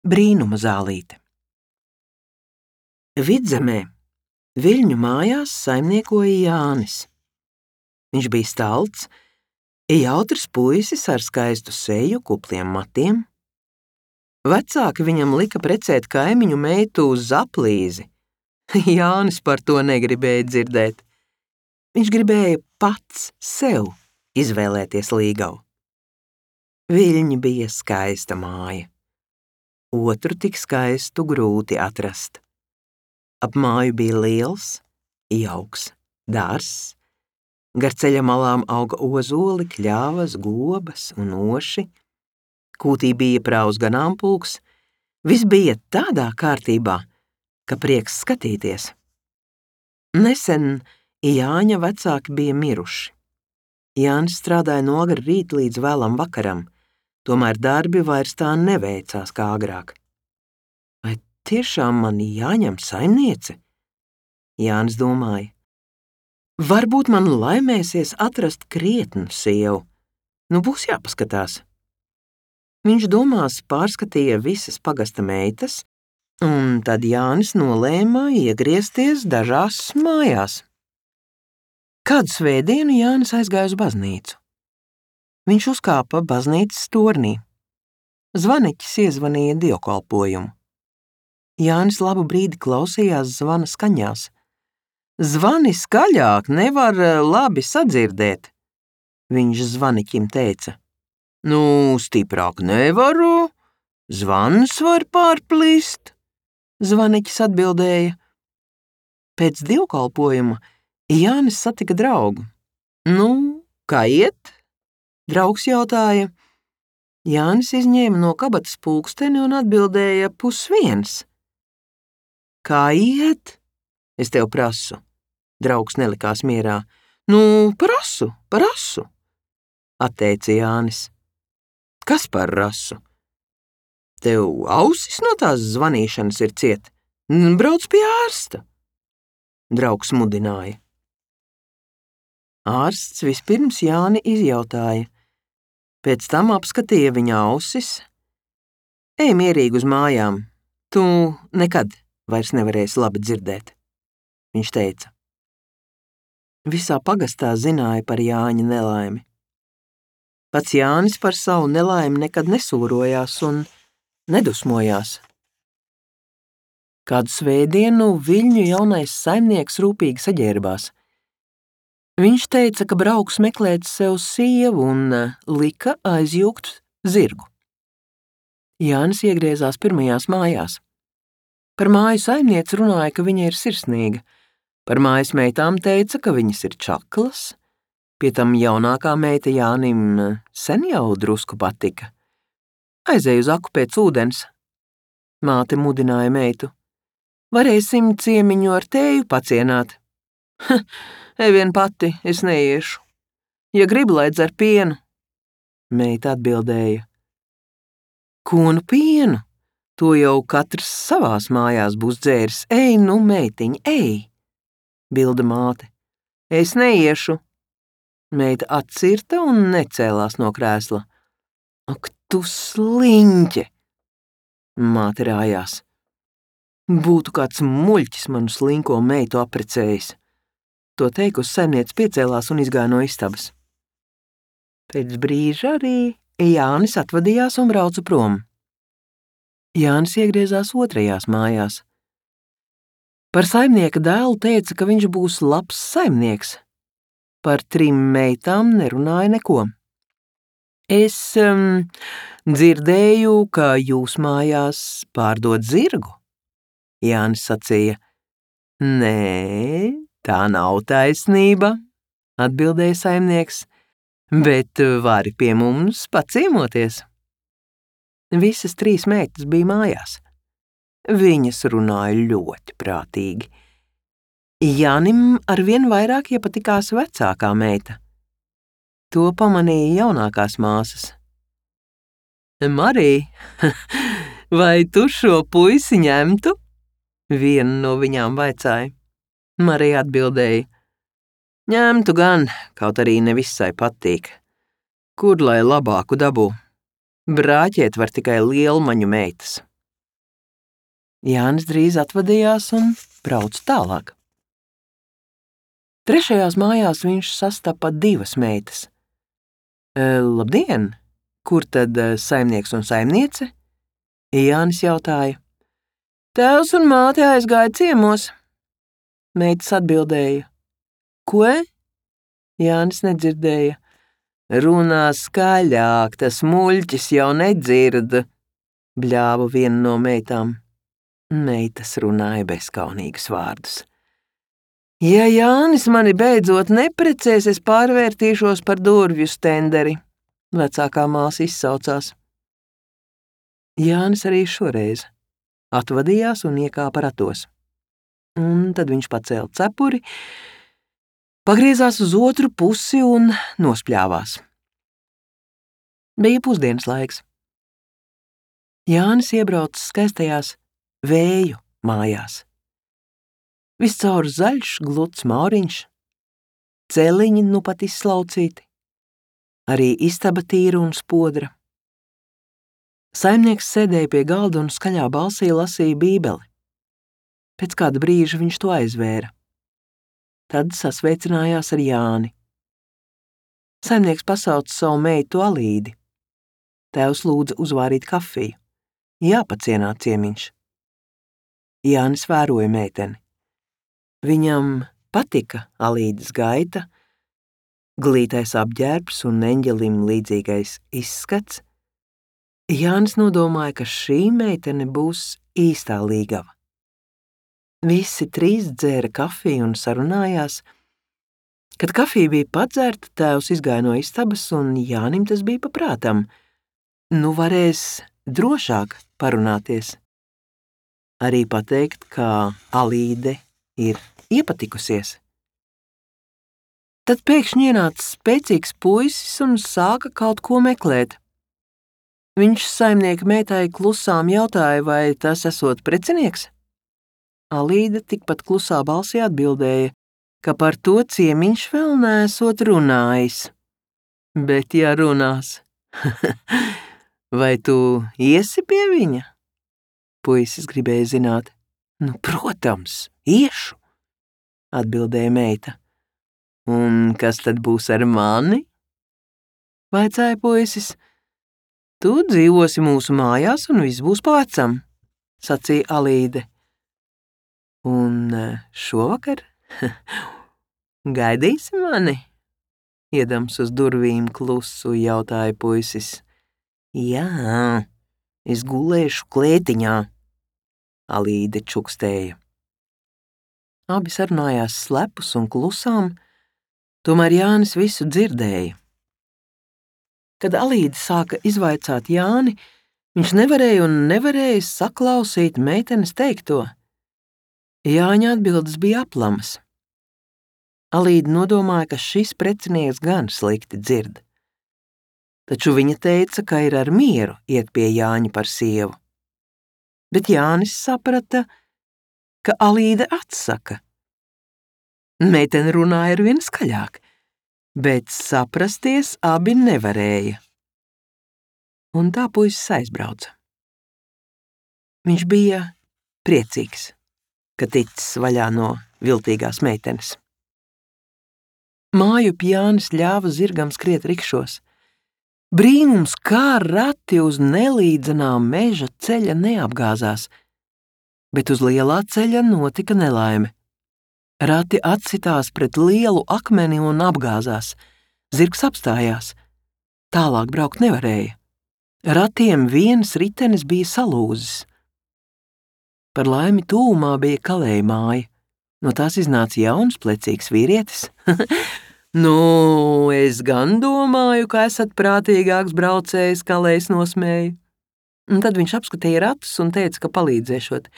Brīnuma zālīte. Vidzemē Viļņu mājās saimniekoja Jānis. Viņš bija stalts, jautrs puisis ar skaistu seju, kupliem matiem. Vecāki viņam lika precēt kaimiņu meitu uz Zaplīzi. Jānis par to negribēja dzirdēt. Viņš gribēja pats sev izvēlēties līgavu. Viļņi bija skaista māja. Otru tik skaistu grūti atrast. Ap māju bija liels, jauks dārzs. Gar ceļa malām auga ozoli, kļavas, gobas un oši. Kūtī bija praus ganāmpulks. Viss bija tādā kārtībā, ka prieks skatīties. Nesen Jāņa vecāki bija miruši. Jānis strādāja no agra rīta līdz vēlam vakaram, tomēr darbi vairs tā neveicās kā agrāk. Vai tiešām man jāņem saimniece? Jānis domāja. Varbūt man laimēsies atrast krietnu sievu. Būs jāpaskatās. Viņš domās pārskatīja visas pagasta meitas, un tad Jānis nolēma iegriezties dažās mājās. Kādu svētdienu Jānis aizgāja uz baznīcu. Viņš uzkāpa baznīcas tornī. Zvaniķis iezvanīja dievkalpojumu. Jānis labu brīdi klausījās zvana skaņās. Zvani skaļāk, nevar labi sadzirdēt, viņš zvaniķim teica. Stiprāk nevaru, zvans var pārplīst, zvaniķis atbildēja. Pēc dievkalpojuma Jānis satika draugu. Kā iet? Draugs jautāja. Jānis izņēma no kabatas pulksteni un atbildēja 12:30. Kā iet? Es tev prasu. Draugs nelikās mierā. Prasu, atteica Jānis. Kas par rasu? Tev ausis no tās zvanīšanas ir ciet. Brauc pie ārsta. Draugs mudināja. Ārsts vispirms Jāni izjautāja. Pēc tam apskatīja viņa ausis. Ej mierīgi uz mājām. Tu nekad vairs nevarēsi labi dzirdēt, viņš teica. Visā pagastā zināja par Jāņa nelaimi. Pats Jānis par savu nelaimi nekad nesūrojās un nedusmojās. Kādu svētdienu Viļņu jaunais saimnieks rūpīgi saģērbās. Viņš teica, ka brauks meklēt sev sievu un lika aizjūgt zirgu. Jānis iegriezās pirmajās mājās. Par māju saimnieci runāja, ka viņa ir sirsnīga. Par mājas meitām teica, ka viņas ir čaklas. Pie tam jaunākā meita Jānim sen jau drusku patika. Aizej uz aku pēc ūdens. Māte mudināja meitu. Varēsim ciemiņu ar tēju pacienāt. Ej vien pati, es neiešu. Ja gribi, lai dzer pienu. Meita atbildēja. Ko pienu? To jau katrs savās mājās būs dzēris. Ej, meitiņ, ej! Bilda māte. Es neiešu. Meita atcirta un necēlās no krēsla. Ak, tu sliņķe! Māte rājās. Būtu kāds muļķis manu slinko meitu aprecējis. To teikusi saimniece piecēlās un izgāja no istabas. Pēc brīža arī Jānis atvadījās un brauca prom. Jānis iegriezās otrajās mājās. Par saimnieka dēlu teica, ka viņš būs labs saimnieks. Par 3 meitām nerunāja neko. Es dzirdēju, ka jūs mājās pārdod zirgu, Jānis sacīja. Nē, tā nav taisnība, atbildēja saimnieks, bet vari pie mums paciemoties. Visas 3 meitas bija mājās. Viņas runāja ļoti prātīgi. Jānim arvien vairāk iepatikās vecākā meita. To pamanīja jaunākās māsas. Marija, vai tu šo puisi ņemtu? Viena no viņām vaicāja. Marija atbildēja. Ņemtu gan, kaut arī ne visai patīk. Kur lai labāku dabū? Brāķēt var tikai lielmaņu meitas. Jānis drīz atvadījās un brauca tālāk. Trešajās mājās viņš sastapa divas meitas. Labdien! Kur tad saimnieks un saimniece? Jānis jautāja. Tēvs un māte aizgāja ciemos. Meitas atbildēja. Ko? Jānis nedzirdēja. Runā skaļāk, tas muļķis jau nedzird, bļāva viena no meitām. Meitas runāja bezkaunīgus vārdus. Ja Jānis mani beidzot neprecēs, es pārvērtīšos par durvju stenderi, vecākā māsa izsaucās. Jānis arī šoreiz atvadījās un iekāpa ratos. Un tad viņš pacēla cepuri, pagriezās uz otru pusi un nospļāvās. Bija pusdienas laiks. Jānis iebrauca skaistajās Vēju mājās. Viscaur zaļš, gluds mauriņš, celiņi nu pat izslaucīti, arī istaba tīra un spodra. Saimnieks sēdēja pie galda un skaļā balsī lasīja bībeli. Pēc kāda brīža viņš to aizvēra. Tad sasveicinājās ar Jāni. Saimnieks pasauca savu meitu Alīdi. Tēvs lūdza uzvārīt kafiju. Jāpacienā ciemiņš. Jānis vēroja meiteni. Viņam patika Alīdes gaita, glītais apģērbs un eņģelim līdzīgais izskats. Jānis nodomāja, ka šī meitene būs īstā līgava. Visi trīs dzēra kafiju un sarunājās. Kad kafija bija padzerta, tēvs izgāja no istabas un Jānim tas bija paprātam. Nu varēs drošāk parunāties. Arī pateikt, ka Alīde ir iepatikusies. Tad pēkšņi ienāca spēcīgs puisis un sāka kaut ko meklēt. Viņš saimnieka meitai klusām jautāja, vai tas esot precinieks. Alīde tikpat klusā balsī atbildēja, ka par to ciemiņš vēl neesot runājis. Bet ja runās, vai tu iesi pie viņa? Puisis gribēja zināt. Nu, protams, iešu, atbildēja meita. Un kas tad būs ar mani? Vaicāja puisis. Tu dzīvosi mūsu mājās un viss būs pa vecam, sacīja Alīde. Un šovakar gaidīsi mani? Iedams uz durvīm klusu jautāja puisis. Jā, es gulēšu klētiņā, Alīde čukstēja. Abi sarunājās slepus un klusām, tomēr Jānis visu dzirdēja. Kad Alīde sāka izvaicāt Jāni, viņš nevarēja saklausīt meitenes teikto. Jāņa atbildes bija aplamas. Alīde nodomāja, ka šis precinieks gan slikti dzird. Taču viņa teica, ka ir ar mieru iet pie Jāņa par sievu. Bet Jānis saprata, ka Alīde atsaka. Meitene runāja arvien skaļāk, bet saprasties abi nevarēja. Un tā puisis aizbrauca. Viņš bija priecīgs, ka ticis vaļā no viltīgās meitenes. Mājup Jānis ļāva zirgam skriet rikšos. Brīnums, kā rati uz nelīdzenām meža ceļa neapgāzās, bet uz lielā ceļa notika nelaime. Rati atsitās pret lielu akmeni un apgāzās. Zirgs apstājās. Tālāk braukt nevarēja. Ratiem viens ritenis bija salūzis. Par laimi tūmā bija kalēja māja. No tās iznāca jauns, plecīgs vīrietis. Nu, es gan domāju, ka esat prātīgāks braucējs, kalējs nosmēja. Un tad viņš apskatīja ratus un teica, ka palīdzēšot.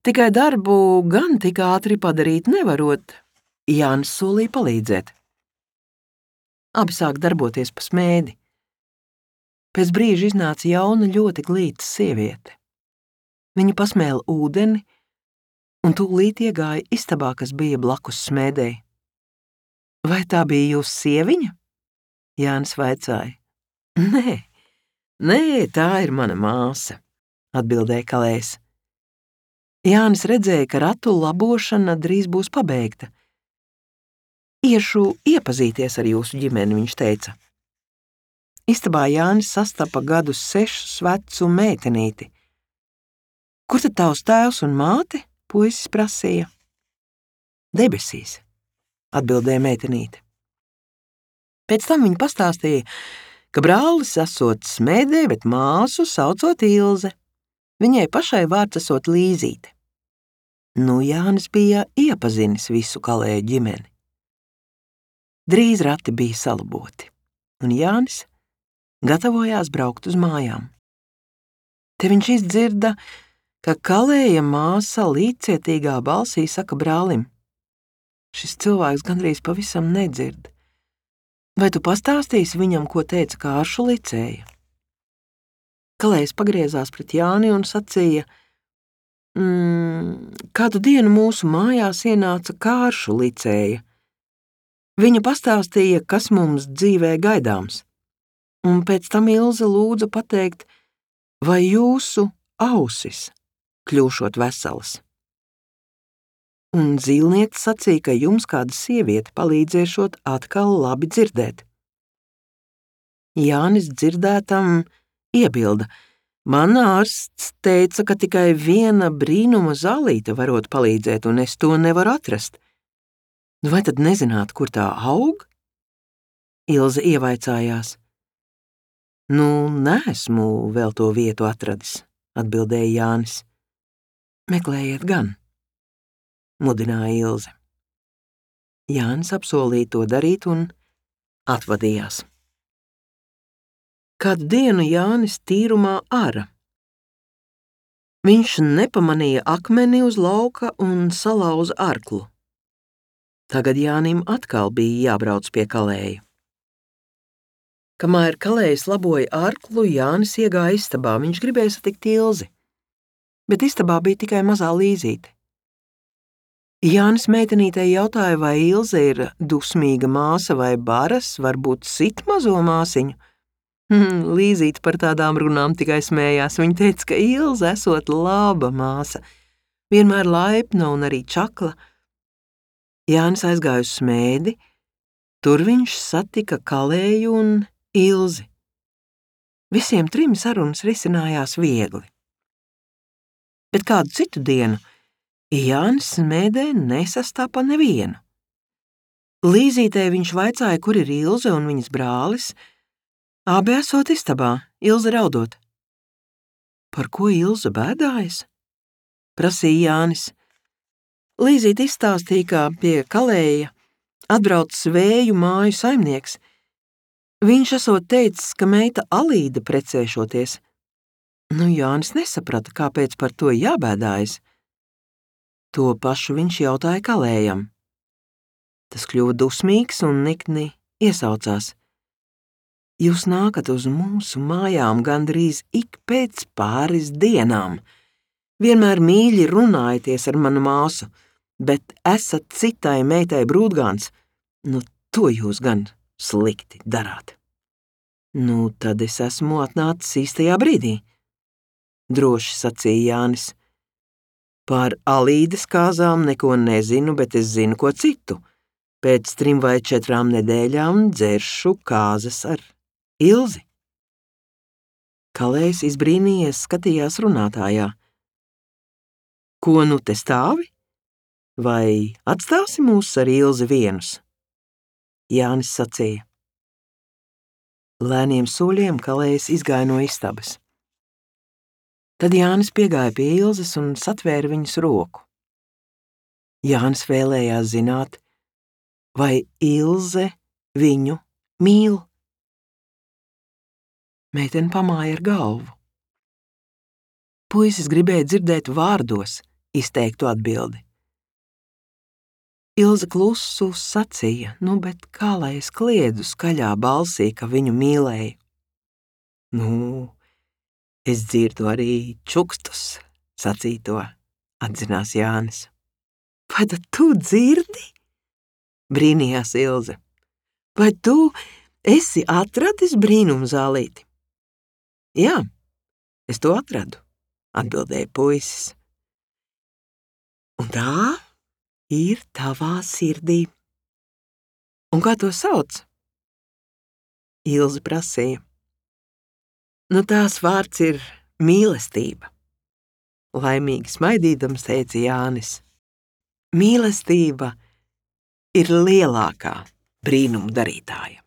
Tikai darbu gan tik ātri padarīt nevarot. Jānis solīja palīdzēt. Abi sāk darboties pa smēdi. Pēc brīža iznāca jauna, ļoti glīta sieviete. Viņa pasmēla ūdeni un tūlīt iegāja istabā, kas bija blakus smēdei. Vai tā bija jūsu sieviņa? Jānis vaicāja. Nē, tā ir mana māsa, atbildēja kalējs. Jānis redzēja, ka ratu labošana drīz būs pabeigta. Iešu iepazīties ar jūsu ģimeni, viņš teica. Istabā Jānis sastapa gadus 6 vecu meitenīti. Kur tad tavs tēvs un māte? Puisis prasīja. Debesīs, atbildēja meitenīte. Pēc tam viņa pastāstīja, ka brālis esot smēdē, bet māsu saucot Ilze. Viņai pašai vārds esot Līzīte. Nu, Jānis bija iepazinis visu Kalēju ģimeni. Drīz rati bija salaboti, un Jānis gatavojās braukt uz mājām. Te viņš izdzirda, ka Kalēja māsa līdzcietīgā balsī saka brālim: Šis cilvēks gandrīz pavisam nedzird. Vai tu pastāstīsi viņam, ko teica Kāršu licēja? Kalējs pagriezās pret Jāni un sacīja: Kādu dienu mūsu mājās ienāca Kāršu licēja. Viņa pastāstīja, kas mums dzīvē gaidāms, un pēc tam Ilze lūdza pateikt, vai jūsu ausis kļūšot veselas. Un zīlniece sacīja, ka jums kāda sieviete palīdzēšot atkal labi dzirdēt. Jānis dzirdētam iebilda: Man ārsts teica, ka tikai viena brīnuma zālīte varot palīdzēt, un es to nevaru atrast. Vai tad nezināt, kur tā aug? Ilze ievaicājās. Nu, neesmu vēl to vietu atradis, atbildēja Jānis. Meklējiet gan, mudināja Ilze. Jānis apsolīja to darīt un atvadījās. Kādu dienu Jānis tīrumā āra. Viņš nepamanīja akmeni uz lauka un salauza arklu. Tagad Jānim atkal bija jābrauc pie Kalēja. Kamēr Kalējs laboja arklu, Jānis iegāja istabā. Viņš gribēja satikt Ilzi, bet istabā bija tikai mazā Līzīte. Jānis meitenītei jautāja, vai Ilze ir dusmīga māsa vai baras, varbūt sit mazo māsiņu. Līzīte par tādām runām tikai smējās. Viņa teica, ka Ilze esot laba māsa, vienmēr laipna un arī čakla. Jānis aizgāja uz smēdi, tur viņš satika Kalēju un Ilzi. Visiem trim sarunas risinājās viegli. Bet kādu citu dienu Jānis smēdē nesastāpa nevienu. Līzītei viņš vaicāja, kur ir Ilze un viņas brālis. Abi esot istabā, Ilze raudot. Par ko Ilze bēdājas? Prasīja Jānis. Līzīte izstāstīja, kā pie Kalēja atbrauc Svēju māju saimnieks. Viņš esot teicis, ka meita Alīda precēšoties. Nu, Jānis nesaprata, kāpēc par to jābēdājas. To pašu viņš jautāja Kalējam. Tas kļuva dusmīgs un nikni iesaucās. Jūs nākat uz mūsu mājām gandrīz ik pēc pāris dienām. Vienmēr mīļi runājaties ar manu māsu, bet esat citai meitai brūdgāns. Nu, to jūs gan slikti darāt. Nu, tad es esmu atnācis īstajā brīdī, droši sacīja Jānis. Par Alīdes kāzām neko nezinu, bet es zinu ko citu. Pēc 3 vai 4 nedēļām dzeršu kāzas ar Ilzi. Kalējs izbrīnījies skatījās runātājā. Ko nu te stāvi? Vai atstāsi mūs ar Ilzi vienus? Jānis sacīja. Lēniem soļiem Kalējs izgāja no istabas. Tad Jānis piegāja pie Ilzes un satvēra viņas roku. Jānis vēlējās zināt, vai Ilze viņu mīl. Meitene pamāja ar galvu. Puisis gribēja dzirdēt vārdos izteiktu atbildi. Ilze klusu sacīja, nu, bet kā lai es kliedzu skaļā balsī, ka viņu mīlēju? Nu, es dzirdu arī čukstus, sacīja to, atzinās Jānis. Vai tad tu dzirdi? Brīnījās Ilze. Vai tu esi atradis brīnumzālīti? Jā, es to atradu, atbildēja puisis. Un tā ir tavā sirdī. Un kā to sauc? Ilze prasīja. Nu, tās vārds ir mīlestība. Laimīgi smaidīdams teica Jānis. Mīlestība ir lielākā brīnumu darītāja.